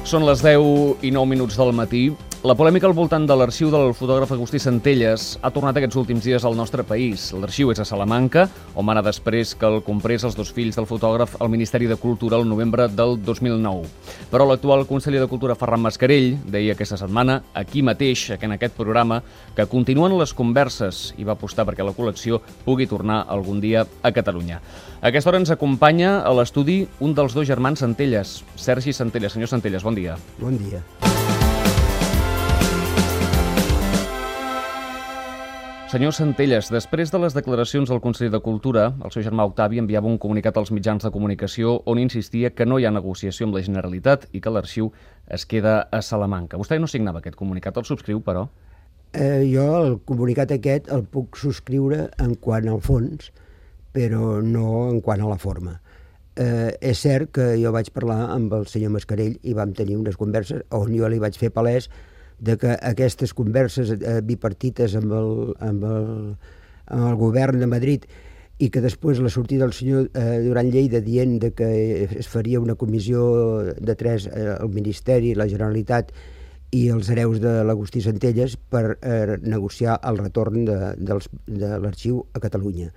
Són les 10:09 del matí. La polèmica al voltant de l'arxiu del fotògraf Agustí Centelles ha tornat aquests últims dies al nostre país. L'arxiu és a Salamanca, on va anar després que el comprés els dos fills del fotògraf al Ministeri de Cultura el novembre del 2009. Però l'actual conseller de Cultura, Ferran Mascarell, deia aquesta setmana, aquí mateix, en aquest programa, que continuen les converses i va apostar perquè la col·lecció pugui tornar algun dia a Catalunya. A aquesta hora ens acompanya a l'estudi un dels dos germans Centelles, Sergi Centelles. Senyor Centelles, bon dia. Bon dia. Senyor Centelles, després de les declaracions del conseller de Cultura, el seu germà Octavi enviava un comunicat als mitjans de comunicació on insistia que no hi ha negociació amb la Generalitat i que l'arxiu es queda a Salamanca. Vostè no signava aquest comunicat, el subscriu, però? Jo el comunicat aquest el puc subscriure en quant al fons, però no en quant a la forma. És cert que jo vaig parlar amb el senyor Mascarell i vam tenir unes converses on jo li vaig fer palès de que aquestes converses bipartites amb el govern de Madrid i que després la sortida del senyor Duran Lleida dient de que es faria una comissió de tres al Ministeri, la Generalitat i els hereus de l'Agustí Centelles per negociar el retorn de l'arxiu a Catalunya.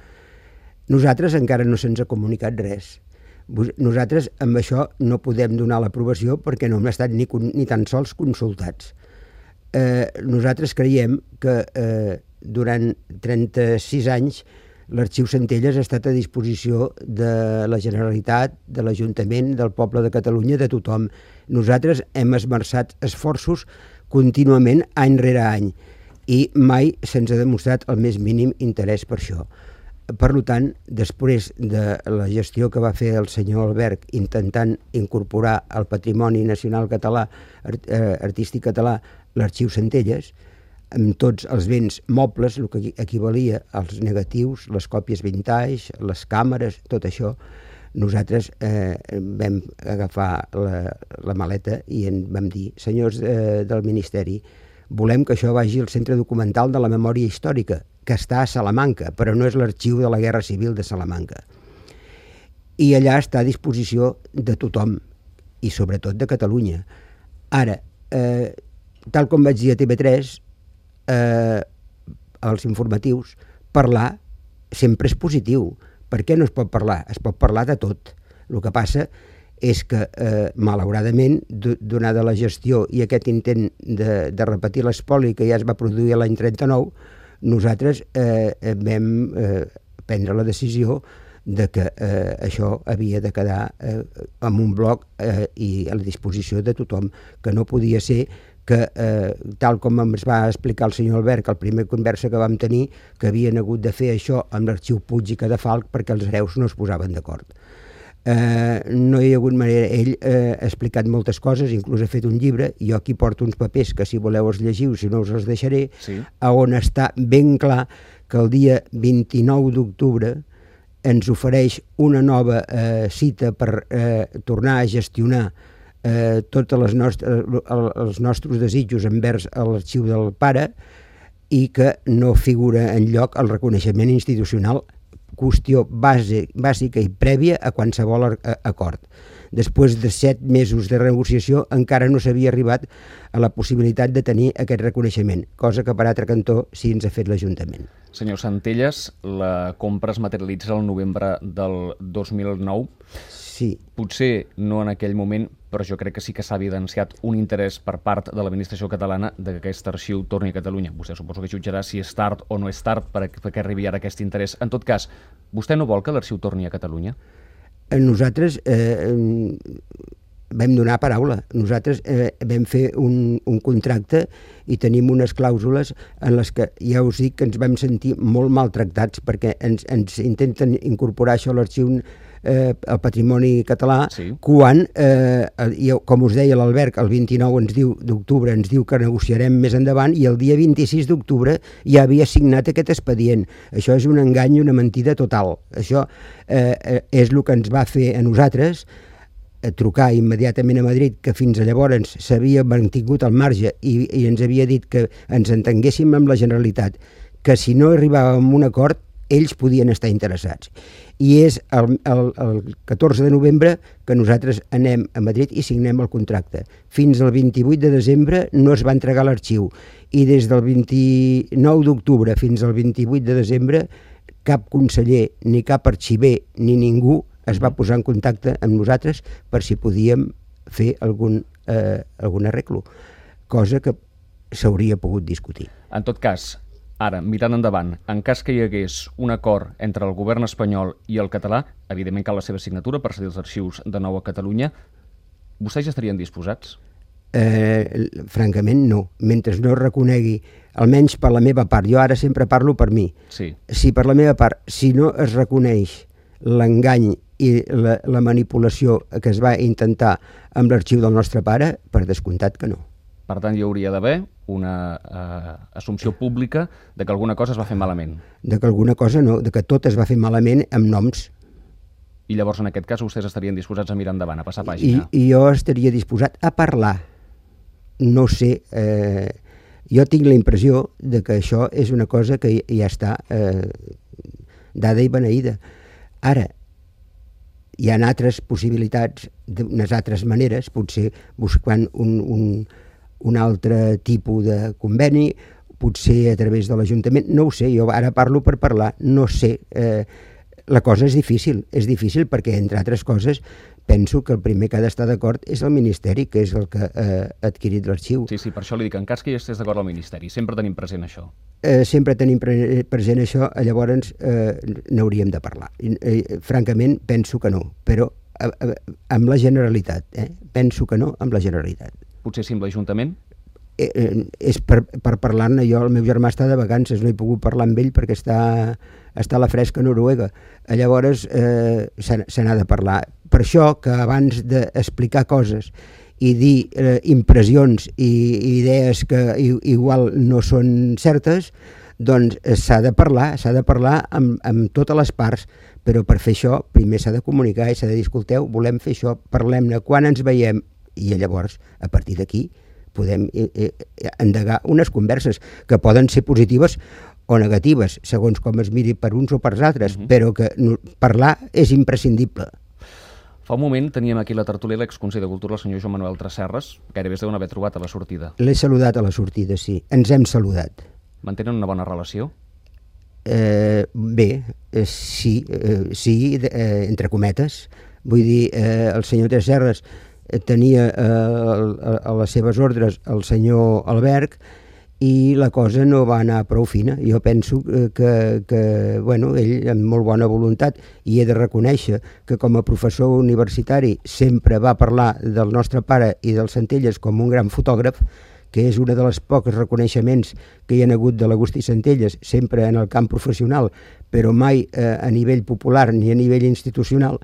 Nosaltres encara no se'ns ha comunicat res. Nosaltres amb això no podem donar l'aprovació perquè no hem estat ni tan sols consultats. Nosaltres creiem que durant 36 anys l'arxiu Centelles ha estat a disposició de la Generalitat, de l'Ajuntament, del poble de Catalunya, de tothom. Nosaltres hem esmerçat esforços contínuament any rere any i mai se'ns ha demostrat el més mínim interès per això. Per tant, després de la gestió que va fer el senyor Albert intentant incorporar al patrimoni nacional català, artístic català, l'arxiu Centelles, amb tots els béns mobles, el que equivalia als negatius, les còpies vintage, les càmeres, tot això, nosaltres vam agafar la maleta i vam dir, senyors del Ministeri, volem que això vagi al Centre Documental de la Memòria Històrica, que està a Salamanca, però no és l'arxiu de la Guerra Civil de Salamanca. I allà està a disposició de tothom, i sobretot de Catalunya. Ara, tal com vaig dir a TV3, als informatius, parlar sempre és positiu. Per què no es pot parlar? Es pot parlar de tot. El que passa és que, malauradament, donada la gestió i aquest intent de repetir l'espoli que ja es va produir l'any 39, nosaltres vam prendre la decisió de que això havia de quedar en un bloc i a la disposició de tothom, que no podia ser que, tal com ens va explicar el senyor Albert, que el primer conversa que vam tenir, que havien hagut de fer això amb l'arxiu Puig i Cadafalch perquè els hereus no es posaven d'acord. No hi ha hagut manera. Ell ha explicat moltes coses, inclús ha fet un llibre, jo aquí porto uns papers que si voleu els llegiu, si no us els deixaré, sí, on està ben clar que el dia 29 d'octubre ens ofereix una nova cita per tornar a gestionar tots els nostres desitjos envers l'arxiu del pare i que no figura enlloc el reconeixement institucional, qüestió bàsica i prèvia a qualsevol acord. Després de 7 mesos de negociació encara no s'havia arribat a la possibilitat de tenir aquest reconeixement, cosa que per altre cantó sí ens ha fet l'Ajuntament. Senyor Centelles, la compra es materialitza el novembre del 2009. Sí. Potser no en aquell moment, però jo crec que sí que s'ha evidenciat un interès per part de l'administració catalana que aquest arxiu torni a Catalunya. Vostè suposo que jutjarà si és tard o no és tard perquè arribi ara aquest interès. En tot cas, vostè no vol que l'arxiu torni a Catalunya? Nosaltres vam donar paraula. Nosaltres vam fer un contracte i tenim unes clàusules en les que ja us dic que ens vam sentir molt maltractats perquè ens intenten incorporar això a l'arxiu el patrimoni català, sí, quan, com us deia l'Albert, el 29 d'octubre ens diu que negociarem més endavant i el dia 26 d'octubre ja havia signat aquest expedient. Això és un engany i una mentida total. Això és el que ens va fer a nosaltres trucar immediatament a Madrid, que fins a llavors s'havia mantingut al marge i ens havia dit que ens entenguéssim amb la Generalitat, que si no arribàvem a un acord ells podien estar interessats. I és el 14 de novembre que nosaltres anem a Madrid i signem el contracte. Fins al 28 de desembre no es va entregar l'arxiu i des del 29 d'octubre fins al 28 de desembre cap conseller, ni cap arxiver, ni ningú es va posar en contacte amb nosaltres per si podíem fer algun arreglo, cosa que s'hauria pogut discutir. En tot cas, ara, mirant endavant, en cas que hi hagués un acord entre el govern espanyol i el català, evidentment cal la seva signatura per cedir els arxius de nou a Catalunya, vostès ja estarien disposats? Francament no, mentre no reconegui, almenys per la meva part, jo ara sempre parlo per mi, sí. Si per la meva part, si no es reconeix l'engany i la manipulació que es va intentar amb l'arxiu del nostre pare, per descomptat que no. Per tant, hi hauria d'haver una assumpció pública de que alguna cosa es va fer malament. De que alguna cosa no, de que tot es va fer malament amb noms. I llavors, en aquest cas, vostès estarien disposats a mirar endavant, a passar pàgina? I jo estaria disposat a parlar. No sé, jo tinc la impressió de que això és una cosa que ja està dada i beneïda. Ara, hi ha altres possibilitats, d'unes altres maneres, potser buscant un altre tipus de conveni, potser a través de l'Ajuntament, no ho sé, jo ara parlo per parlar, no sé, la cosa és difícil perquè, entre altres coses, penso que el primer que ha d'estar d'acord és el Ministeri, que és el que ha adquirit l'arxiu. Sí, per això li dic, en cas que hi estés d'acord el Ministeri, sempre tenim present això. Sempre tenim present això, llavors n'hauríem de parlar. Francament, penso que no, però amb la Generalitat, penso que no amb la Generalitat. Potser sí amb l'Ajuntament? És per parlar-ne. Jo, el meu germà està de vacances, no he pogut parlar amb ell perquè està a la fresca Noruega. Llavors se n'ha de parlar. Per això que abans d'explicar coses i dir impressions i idees que igual no són certes, doncs s'ha de parlar amb totes les parts, però per fer això primer s'ha de comunicar i s'ha de dir, escolteu, volem fer això, parlem-ne, quan ens veiem, i llavors, a partir d'aquí, podem endegar unes converses que poden ser positives o negatives, segons com es miri per uns o per altres, però que parlar és imprescindible. Fa un moment teníem aquí la tertúlia l'exconseller de Cultura, el senyor Joan Manuel Tresserras, gairebé es deuen haver trobat a la sortida. L'he saludat a la sortida, sí. Ens hem saludat. Mantenen una bona relació? Bé, sí, entre cometes. Vull dir, el senyor Tresserras tenia a les seves ordres el senyor Albert i la cosa no va anar prou fina. Jo penso que bueno, ell amb molt bona voluntat, i he de reconèixer que com a professor universitari sempre va parlar del nostre pare i del Centelles com un gran fotògraf, que és una de les pocs reconeixements que hi ha hagut de l'Agustí Centelles, sempre en el camp professional, però mai a nivell popular ni a nivell institucional,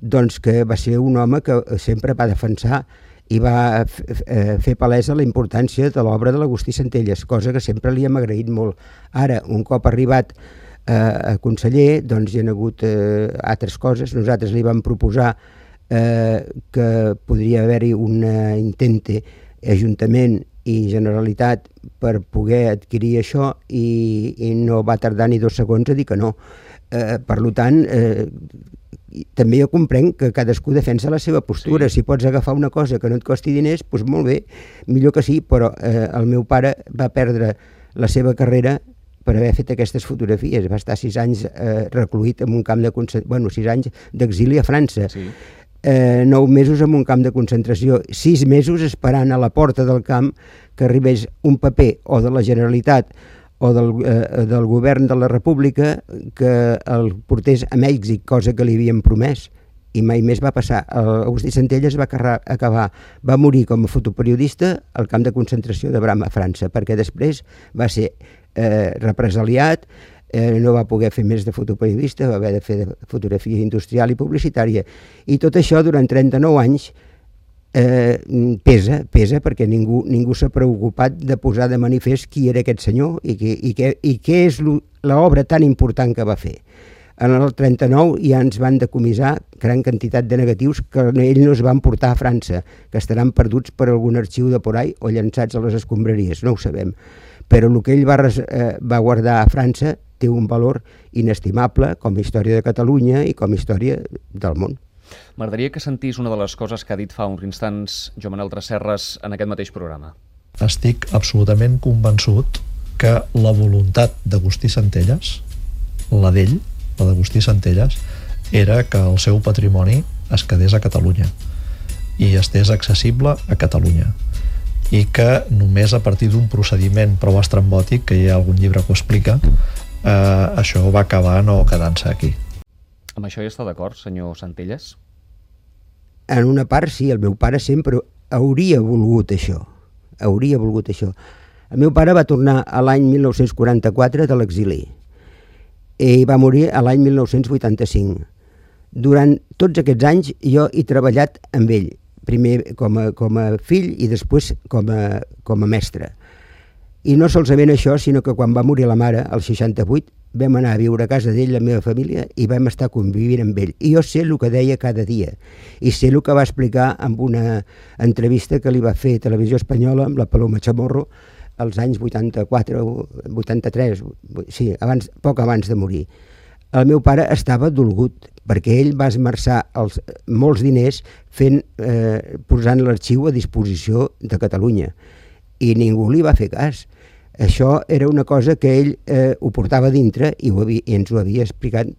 doncs que va ser un home que sempre va defensar i va fer palesa la importància de l'obra de l'Agustí Centelles, cosa que sempre li hem agraït molt. Ara, un cop arribat a conseller, doncs hi ha hagut altres coses. Nosaltres li vam proposar que podria haver-hi un intente Ajuntament i Generalitat per poder adquirir això i no va tardar ni 2 segons a dir que no. Per tant, també jo comprenc que cadascú defensa la seva postura. Sí. Si pots agafar una cosa que no et costi diners, doncs molt bé, millor que sí, però el meu pare va perdre la seva carrera per haver fet aquestes fotografies. Va estar 6 anys recluït en un camp de 6 anys d'exili a França. Sí. 9 mesos en un camp de concentració, 6 mesos esperant a la porta del camp que arribés un paper o de la Generalitat o del govern de la República que el portés a Mèxic, cosa que li havien promès, i mai més va passar. Agustí Centelles va morir com a fotoperiodista al camp de concentració de Brama, a França, perquè després va ser represaliat, no va poder fer més de fotoperiodista, va haver de fer de fotografia industrial i publicitària. I tot això durant 39 anys pesa perquè ningú s'ha preocupat de posar de manifest qui era aquest senyor i què és l'obra tan important que va fer. En el 39 ja ens van decomissar gran quantitat de negatius que ell no es van portar a França, que estaran perduts per algun arxiu de por ahí o llançats a les escombraries, no ho sabem. Però el que ell va guardar a França té un valor inestimable com a història de Catalunya i com a història del món. M'agradaria que sentís una de les coses que ha dit fa uns instants Joan Manel Tresserras en aquest mateix programa. Estic absolutament convençut que la voluntat d'Agustí Centelles, la d'ell, la d'Agustí Centelles, era que el seu patrimoni es quedés a Catalunya i estés accessible a Catalunya, i que només a partir d'un procediment prou estrambòtic, que hi ha algun llibre que ho explica, això va acabar no quedant-se aquí. Amb això hi està d'acord, senyor Centelles? En una part sí, el meu pare sempre hauria volgut això. Hauria volgut això. El meu pare va tornar a l'any 1944 de l'exili i va morir a l'any 1985. Durant tots aquests anys jo he treballat amb ell, primer com a fill i després com a mestre. I no solament això, sinó que quan va morir la mare, al 68, vam anar a viure a casa d'ell, la meva família, i vam estar convivint amb ell. I jo sé el que deia cada dia, i sé el que va explicar en una entrevista que li va fer a Televisió Espanyola amb la Paloma Chamorro als anys 84 o 83, sí, poc abans de morir. El meu pare estava dolgut, perquè ell va esmerçar molts diners posant l'arxiu a disposició de Catalunya, i ningú li va fer cas. Això era una cosa que ell ho portava dintre i ens ho havia explicat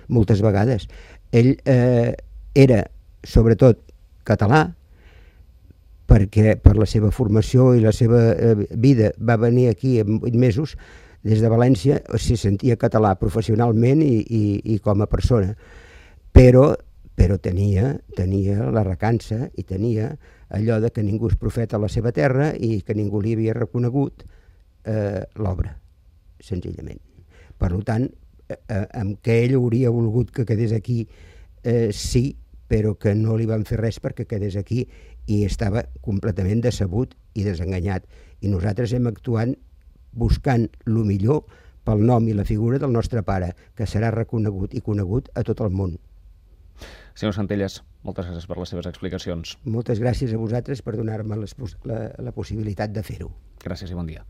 moltes vegades. Ell era, sobretot, català, perquè per la seva formació i la seva vida va venir aquí en 8 mesos, des de València, se sentia català professionalment i com a persona, però tenia la recança i tenia allò de que ningú és profeta a la seva terra i que ningú li havia reconegut l'obra, senzillament. Per tant, amb què ell hauria volgut que quedés aquí, sí, però que no li van fer res perquè quedés aquí i estava completament decebut i desenganyat. I nosaltres hem actuat buscant el millor pel nom i la figura del nostre pare, que serà reconegut i conegut a tot el món. Senyor Centelles, moltes gràcies per les seves explicacions. Moltes gràcies a vosaltres per donar-me la possibilitat de fer-ho. Gràcies i bon dia.